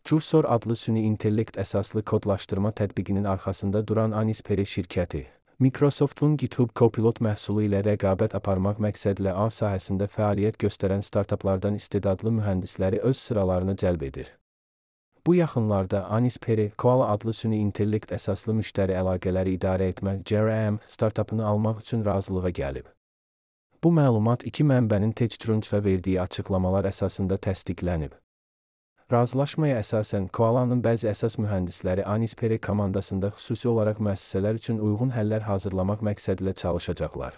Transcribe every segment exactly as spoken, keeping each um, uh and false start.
Cursor adlı süni intellekt əsaslı kodlaşdırma tətbiqinin arxasında duran Anisperi şirkəti, Microsoft'un GitHub Copilot məhsulu ilə rəqabət aparmaq məqsədlə A sahəsində fəaliyyət göstərən startaplardan istedadlı mühəndisləri öz sıralarına cəlb edir. Bu yaxınlarda Anisperi, Koala adlı süni intellekt əsaslı müştəri əlaqələri idarə etmə C R M startapını almaq üçün razılığa gəlib. Bu məlumat iki mənbənin TechCrunch-a verdiyi açıqlamalar əsasında təsdiqlənib. Razılaşmaya əsasən, Koalanın bəzi əsas mühəndisləri Anisperi komandasında xüsusi olaraq müəssisələr üçün uyğun həllər hazırlamaq məqsədilə çalışacaqlar.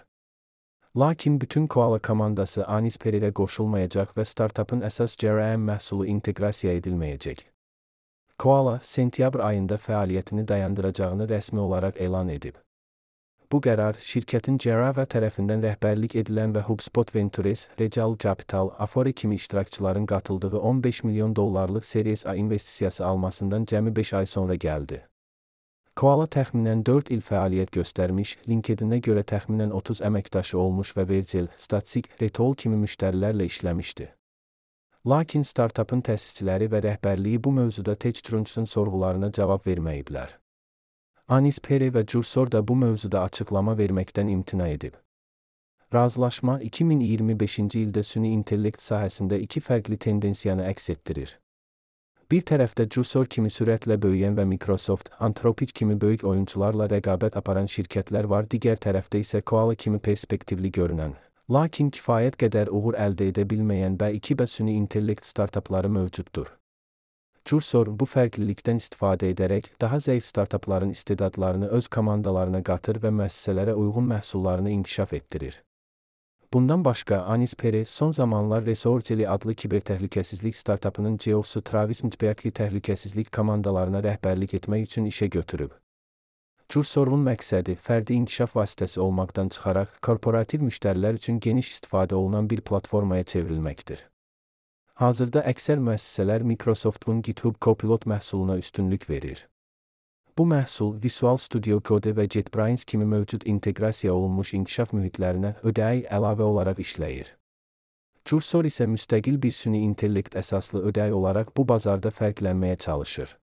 Lakin bütün Koala komandası Anisperi ilə qoşulmayacaq və startapın əsas C R M məhsulu inteqrasiya edilməyəcək. Koala, sentyabr ayında fəaliyyətini dayandıracağını rəsmi olaraq elan edib. Bu qərar, şirkətin Cerava tərəfindən rəhbərlik edilən və HubSpot Ventures, Regal Capital, Afore kimi iştirakçıların qatıldığı on beş milyon dollarlıq Series A investisiyası almasından cəmi beş ay sonra gəldi. Koala təxminən dörd il fəaliyyət göstərmiş, LinkedIn-ə görə təxminən otuz əməkdaşı olmuş və Virgil, Statsig, Retol kimi müştərilərlə işləmişdi. Lakin startapın təsisçiləri və rəhbərliyi bu mövzuda TechCrunch-un sorğularına cavab verməyiblər. Anisperi və Cursor da bu mövzuda açıqlama verməkdən imtina edib. Razılaşma iki min iyirmi beşinci ildə süni intellekt sahəsində iki fərqli tendensiyanı əks etdirir. Bir tərəfdə Cursor kimi sürətlə böyüyən və Microsoft, Anthropic kimi böyük oyunçularla rəqabət aparan şirkətlər var, digər tərəfdə isə Koala kimi perspektivli görünən, lakin kifayət qədər uğur əldə edə bilməyən B iki B süni intellekt startapları mövcuddur. Cursor bu fərqlilikdən istifadə edərək daha zəif startapların istedadlarını öz komandalarına qatır və müəssisələrə uyğun məhsullarını inkişaf etdirir. Bundan başqa, Anisperi son zamanlar Resorgeli adlı kibertəhlükəsizlik startapının C E O-su Travis Mtbeaki təhlükəsizlik komandalarına rəhbərlik etmək üçün işə götürüb. Cursorun məqsədi fərdi inkişaf vasitəsi olmaqdan çıxaraq korporativ müştərilər üçün geniş istifadə olunan bir platformaya çevrilməkdir. Hazırda əksər müəssisələr Microsoft'un GitHub Copilot məhsuluna üstünlük verir. Bu məhsul Visual Studio Code və JetBrains kimi mövcud inteqrasiya olunmuş inkişaf mühitlərinə ödəyi əlavə olaraq işləyir. Cursor isə müstəqil bir süni intellekt əsaslı ödəyi olaraq bu bazarda fərqlənməyə çalışır.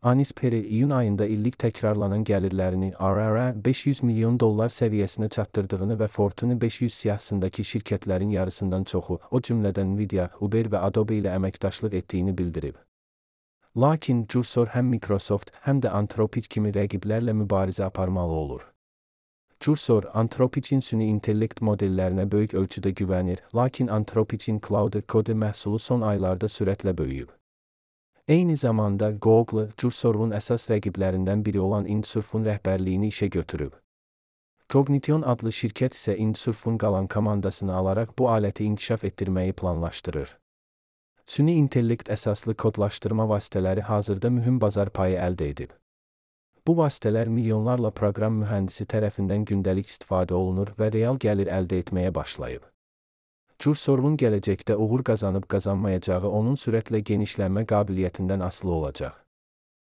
Anisperi iyun ayında illik təkrarlanan gəlirlərini R R A beş yüz milyon dollar səviyyəsinə çatdırdığını və Fortune beş yüz siyahısındakı şirkətlərin yarısından çoxu, o cümlədən Nvidia, Uber və Adobe ilə əməkdaşlıq etdiyini bildirib. Lakin Cursor həm Microsoft, həm də Anthropic kimi rəqiblərlə mübarizə aparmalı olur. Cursor, Anthropic'in süni intellekt modellərinə böyük ölçüdə güvənir, lakin Anthropic'in Cloud Code məhsulu son aylarda sürətlə böyüyüb. Eyni zamanda Google, Cursor'un əsas rəqiblərindən biri olan Indsurf'un rəhbərliyini işə götürüb. Cognition adlı şirkət isə Indsurf'un qalan komandasını alaraq bu aləti inkişaf etdirməyi planlaşdırır. Süni intellekt əsaslı kodlaşdırma vasitələri hazırda mühüm bazar payı əldə edib. Bu vasitələr milyonlarla proqram mühəndisi tərəfindən gündəlik istifadə olunur və real gəlir əldə etməyə başlayıb. Cursor'un gələcəkdə uğur qazanıb qazanmayacağı onun sürətlə genişlənmə qabiliyyətindən asılı olacaq.